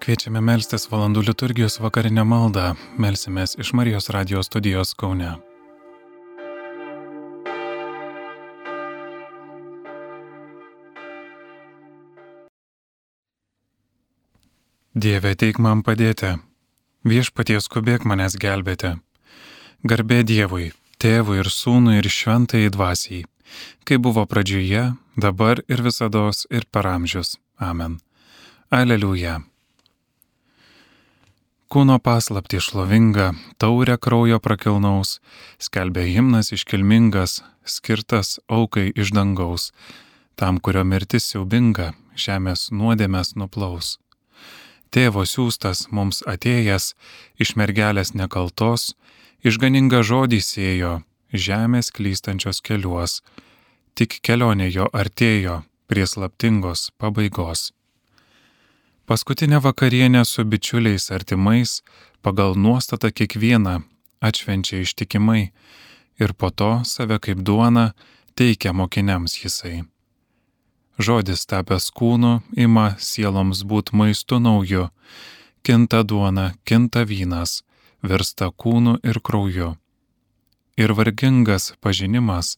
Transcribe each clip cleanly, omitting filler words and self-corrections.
Kviečiame melstis valandų liturgijos vakarinę maldą. Melsimės iš Marijos radijos studijos Kaune. Dieve, ateik man padėti. Viešpatie, skubėk manęs gelbėti. Garbė Dievui, Tėvui ir Sūnui ir Šventajai Dvasiai, kaip buvo pradžioje, dabar ir visados ir per amžius. Amen. Aleliuja. Kūno paslaptį šlovingą, taurę kraujo prakilnaus, skelbia himnas iškilmingas, skirtas aukai iš dangaus, tam, kurio mirtis siaubinga, žemės nuodėmes nuplaus. Tėvo siųstas mums atėjęs, iš mergelės nekaltos, išganingą žodį sėjo, žemės klystančios keliuos, tik kelionė jo artėjo prie slaptingos pabaigos. Paskutinę vakarienę su bičiuliais artimais, pagal nuostatą kiekvieną atšvenčia ištikimai ir po to save kaip duoną teikia mokiniams jisai. Žodis tapęs kūnu ima sieloms būt maistu nauju, kinta duona, kinta vynas, virsta kūnu ir krauju. Ir vargingas pažinimas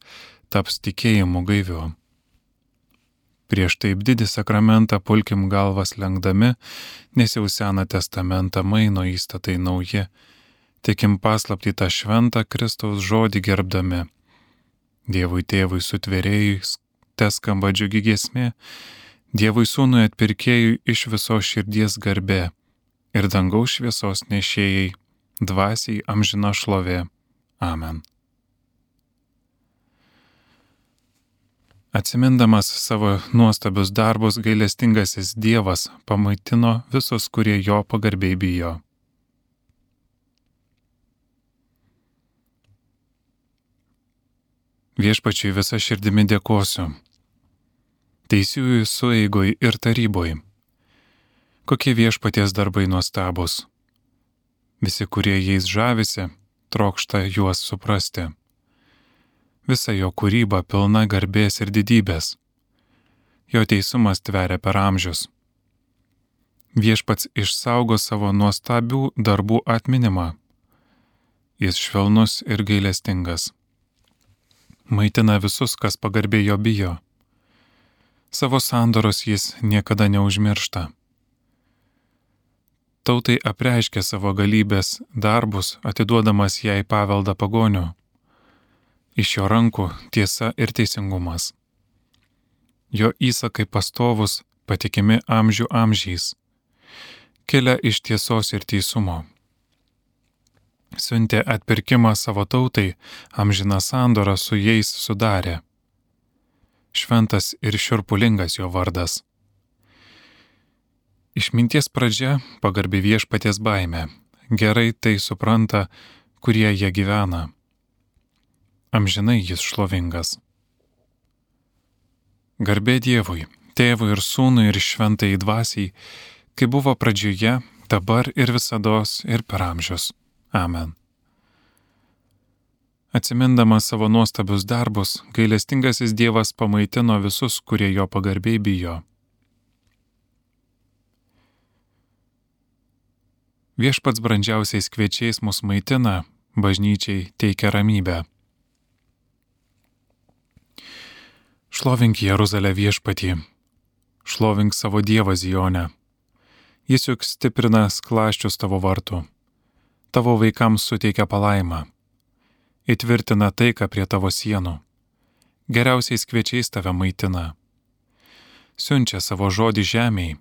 taps tikėjimu gaiviu. Prieš taip didį sakramentą pulkim galvas lenkdami, nes jau Seną testamentą maino įstatai nauji, tikim paslaptį tą šventą Kristaus žodį gerbdami. Dievui Tėvui sutvėrėjui teskamba džiugi giesmė, Dievui Sūnui atpirkėjui iš visos širdies garbė ir dangaus šviesos nešėjai, dvasiai amžina šlovė. Amen. Atsimindamas savo nuostabius darbus, gailestingasis Dievas pamaitino visus, kurie jo pagarbiai bijo. Viešpačiui visa širdimi dėkosiu, teisiųjų sueigoj ir taryboj. Kokie Viešpaties darbai nuostabus. Visi, kurie jais žavisi, trokšta juos suprasti. Visa jo kūryba pilna garbės ir didybės. Jo teisumas tveria per amžius. Viešpats išsaugo savo nuostabių darbų atminimą. Jis švelnus ir gailestingas. Maitina visus, kas pagarbiai jo bijo. Savo sandoros jis niekada neužmiršta. Tautai apreiškia savo galybės darbus, atiduodamas jai paveldą pagonių. Iš jo rankų tiesa ir teisingumas. Jo įsakai pastovus, patikimi amžių amžiais, kilia iš tiesos ir teisumo. Siuntė atpirkimą savo tautai, amžiną sandorą su jais sudarė. Šventas ir šiurpulingas jo vardas. Išminties pradžia pagarbi Viešpaties baimė, gerai tai supranta, kurie jie gyvena. Amžinai jis šlovingas. Garbė Dievui, Tėvui ir Sūnui ir Šventajai Dvasiai, kaip buvo pradžioje, dabar ir visados ir per amžius. Amen. Atsimindamas savo nuostabius darbus, gailestingasis Dievas pamaitino visus, kurie jo pagarbiai bijo. Viešpats brandžiausiais kviečiais mus maitina, bažnyčiai teikia ramybę. Šlovink Jeruzalę Viešpatį, šlovink savo Dievą Zione. Jis juk stiprina skląsčius tavo vartų, tavo vaikams suteikia palaimą, įtvirtina taiką prie tavo sienų, geriausiais kviečiais tave maitina. Siunčia savo žodį žemėj,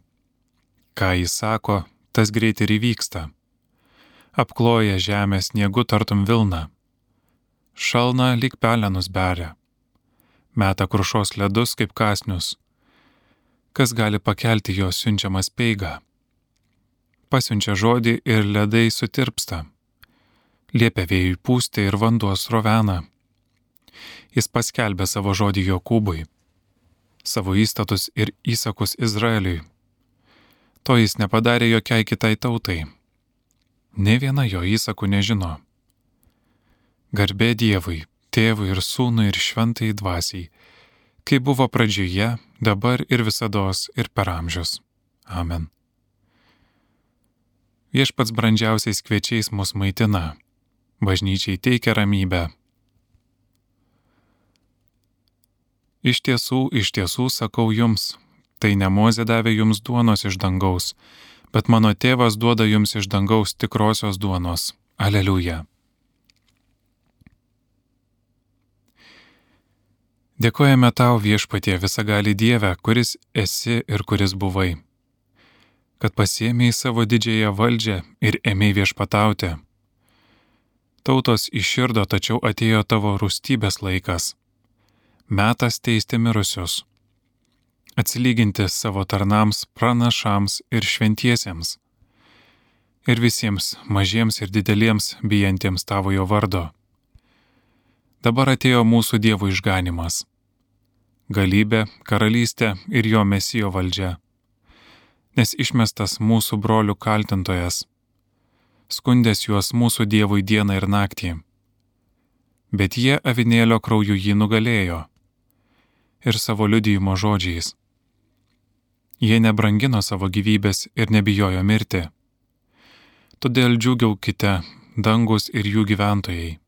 ką jis sako, tas greit ir įvyksta. Apkloja žemę sniegu tartum vilna, šalna lyg pelenus beria. Meta krušos ledus kaip kąsnius. Kas gali pakelti jo siunčiamą speigą? Pasiunčia žodį ir ledai sutirpsta. Liepia vėjui pūsti ir vanduo srovena. Jis paskelbė savo žodį Jokūbui, savo įstatus ir įsakus Izraeliui. To jis nepadarė jokiai kitai tautai. Nė viena jo įsakų nežino. Garbė Dievui, Tėvui ir Sūnui ir Šventajai Dvasiai, kaip buvo pradžioje, dabar ir visados ir per amžius. Amen. Viešpats brandžiausiais kviečiais mus maitina, bažnyčiai teikia ramybę. Iš tiesų sakau jums, tai ne Mozė davė jums duonos iš dangaus, bet mano tėvas duoda jums iš dangaus tikrosios duonos. Aleliuja. Dėkojame tau, Viešpatie, visagali Dieve, kuris esi ir kuris buvai, kad pasiėmei savo didžiąją valdžią ir ėmei viešpatauti. Tautos iširdo, tačiau atėjo tavo rūstybės laikas. Metas teisti mirusius, atsilyginti savo tarnams, pranašams ir šventiesiems, ir visiems mažiems ir dideliems bijantiems tavojo vardo. Dabar atėjo mūsų Dievo išganimas, galybė, karalystė ir jo Mesijo valdžia, nes išmestas mūsų brolių kaltintojas, skundės juos mūsų Dievui dieną ir naktį, bet jie avinėlio krauju jį nugalėjo ir savo liudijimo žodžiais. Jie nebrangino savo gyvybės ir nebijojo mirti. Todėl džiūgaukite, dangus ir jų gyventojai.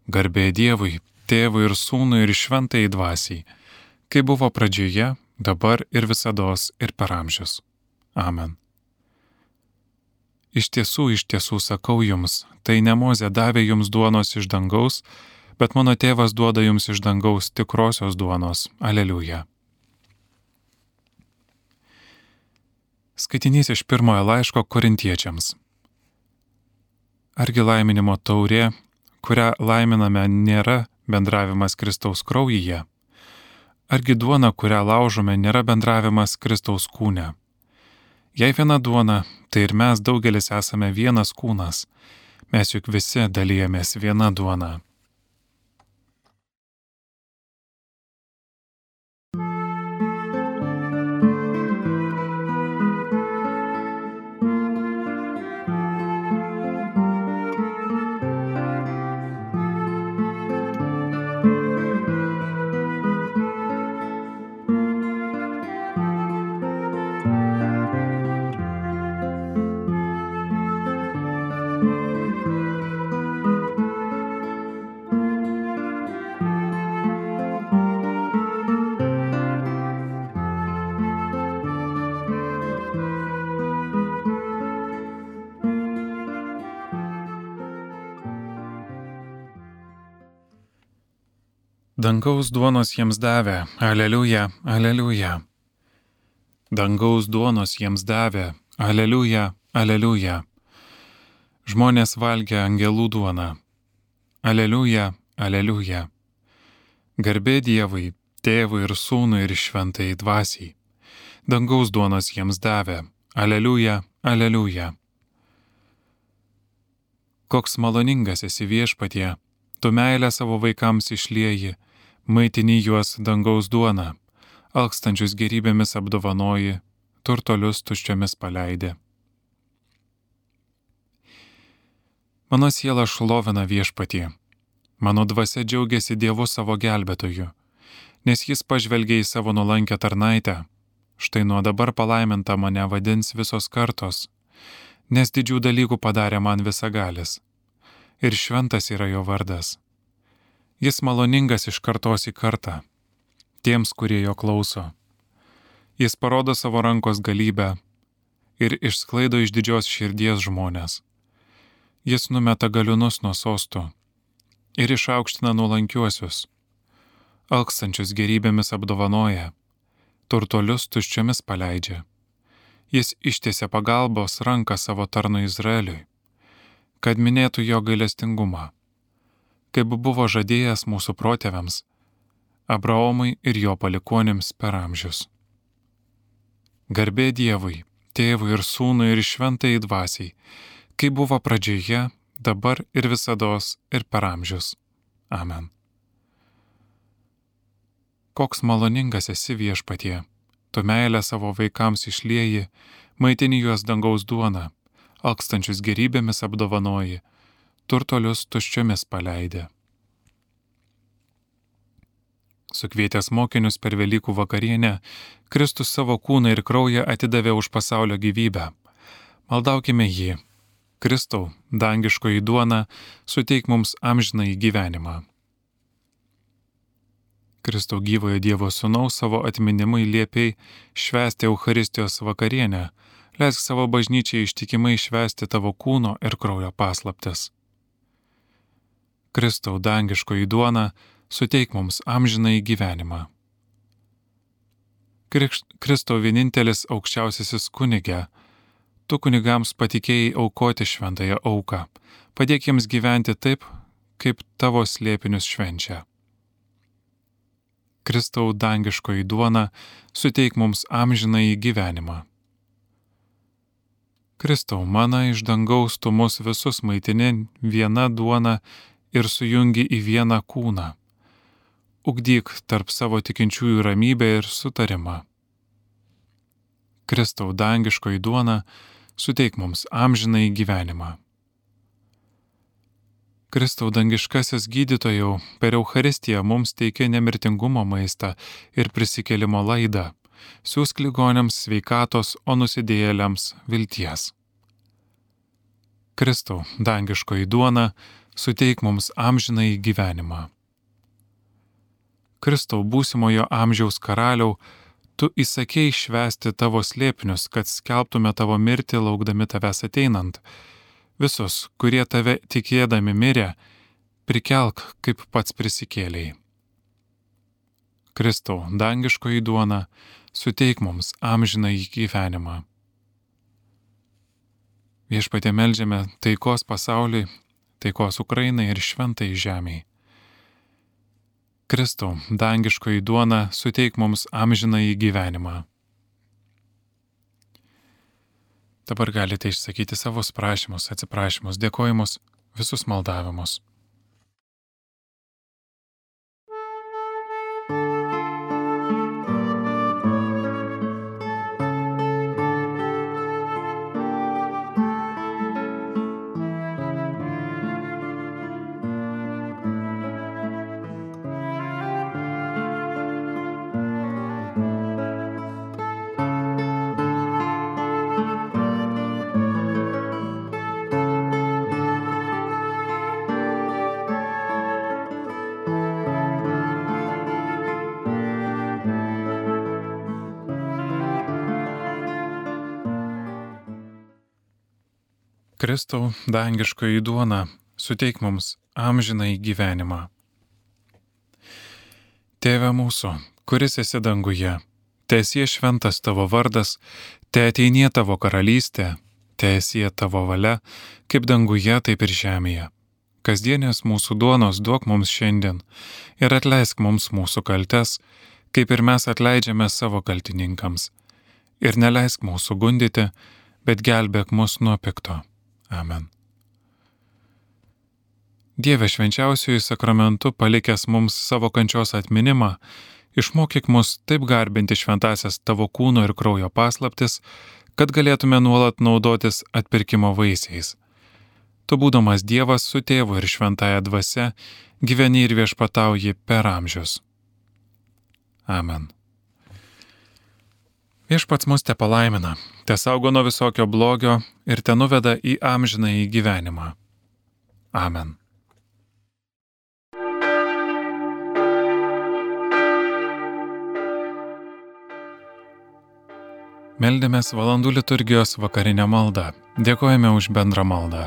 Garbė Dievui, Tėvui ir Sūnui ir Šventajai Dvasiai, kaip buvo pradžioje, dabar ir visados ir per amžius. Amen. Iš tiesų sakau jums, tai ne Mozė davė jums duonos iš dangaus, bet mano tėvas duoda jums iš dangaus tikrosios duonos. Aleliuja. Skaitinys iš pirmojo laiško Korintiečiams. Argi laiminimo taurė, kurią laiminame, nėra bendravimas Kristaus kraujyje? Argi duona, kurią laužome, nėra bendravimas Kristaus kūne? Jei viena duona, tai ir mes daugelis esame vienas kūnas. Mes juk visi dalijamės viena duona. Dangaus duonos jiems davė, aleliuja, aleliuja. Dangaus duonos jiems davė, aleliuja, aleliuja. Žmonės valgė angelų duoną, aleliuja, aleliuja. Garbė Dievui, Tėvui ir Sūnui ir Šventajai Dvasiai. Dangaus duonos jiems davė, aleliuja, aleliuja. Koks maloningas esi Viešpatie, tu meilę savo vaikams išlieji, maitini juos dangaus duoną, alkstančius gerybėmis apdovanoji, turtolius tuščiomis paleidi. Mano siela šlovina Viešpatį, mano dvasia džiaugiasi Dievu savo gelbėtoju, nes jis pažvelgė į savo nuolankę tarnaitę. Štai nuo dabar palaiminta mane vadins visos kartos, nes didžių dalykų padarė man visagalis, ir šventas yra jo vardas. Jis maloningas iš kartos į kartą, tiems, kurie jo klauso. Jis parodo savo rankos galybę ir išsklaido iš didžios širdies žmonės. Jis numeta galiūnus nuo sostų ir išaukština nuolankiuosius. Alkstančius gerybėmis apdovanoja, turtolius tuščiomis paleidžia. Jis ištiesia pagalbos ranką savo tarnui Izraeliui, kad minėtų jo gailestingumą, kaip buvo žadėjęs mūsų protėviams, Abraomui ir jo palikuonims per amžius. Garbė Dievui, Tėvui ir Sūnui ir Šventajai Dvasiai, kaip buvo pradžioje, dabar ir visados ir per amžius. Amen. Koks maloningas esi Viešpatie, tu meilę savo vaikams išlieji, maitini juos dangaus duoną, alkstančius gerybėmis apdovanoji, turtolius tuščiomis paleidė. Sukvietęs mokinius per Velykų vakarienę, Kristus savo kūną ir kraują atidavė už pasaulio gyvybę. Maldaukime jį. Kristau, dangiškoji duona, suteik mums amžinąjį gyvenimą. Kristau, gyvojo Dievo Sūnaus, savo atminimui liepiai švęsti Eucharistijos vakarienę, leisk savo bažnyčiai ištikimai švęsti tavo kūno ir kraujo paslaptis. Kristau, dangiškoji duona, suteik mums amžinąjį gyvenimą. Kristau, vienintelis aukščiausiasis kunige, tu kunigams patikėjai aukoti šventąją auką, padėk jiems gyventi taip, kaip tavo slėpinius švenčia. Kristau, dangiškoji duona, suteik mums amžinąjį gyvenimą. Kristau, mana iš dangaus tu mus visus maitini viena duona ir sujungi į vieną kūną. Ugdyk tarp savo tikinčiųjų ramybę ir sutarimą. Kristau, dangiškoji duona, suteik mums amžinąjį gyvenimą. Kristau, dangiškasis gydytojau, per Eucharistiją mums teikia nemirtingumo maistą ir prisikėlimo laidą, siūsk ligoniams sveikatos, o nusidėjėliams vilties. Kristau, dangiškoji duona, suteik mums amžinąjį gyvenimą. Kristau, būsimojo amžiaus karaliau, tu įsakei švęsti tavo slėpinius, kad skelbtume tavo mirtį laukdami tavęs ateinant. Visus, kurie tave tikėdami mirė, prikelk, kaip pats prisikėlei. Kristau, dangiškoji duona, suteik mums amžinąjį gyvenimą. Viešpatie, meldžiame taikos pasauliui, taikos Ukrainai ir šventai žemei. Kristau, dangiškoji duona, suteik mums amžinąjį gyvenimą. Dabar galite išsakyti savus prašymus, atsiprašymus, dėkojimus, visus maldavimus. Kristau, dangiškoji duona, suteik mums amžinąjį gyvenimą. Tėve mūsų, kuris esi danguje, teesie šventas tavo vardas, teateinie tavo karalystė, teesie tavo valia, kaip danguje, taip ir žemėje. Kasdienės mūsų duonos duok mums šiandien ir atleisk mums mūsų kaltes, kaip ir mes atleidžiame savo kaltininkams. Ir neleisk mūsų gundyti, bet gelbėk mus nuo pikto. Amen. Dieve, švenčiausiųjų sakramentu palikęs mums savo kančios atminimą, išmokyk mus taip garbinti šventasias tavo kūno ir kraujo paslaptis, kad galėtume nuolat naudotis atpirkimo vaisiais. Tu, būdamas Dievas su Tėvu ir šventąja dvasia, gyveni ir viešpatauji per amžius. Amen. Viešpats mus tepalaimina, tesaugo nuo visokio blogio ir tenuveda į amžinąjį gyvenimą. Amen. Meldėmės valandų liturgijos vakarinę maldą. Dėkojame už bendrą maldą.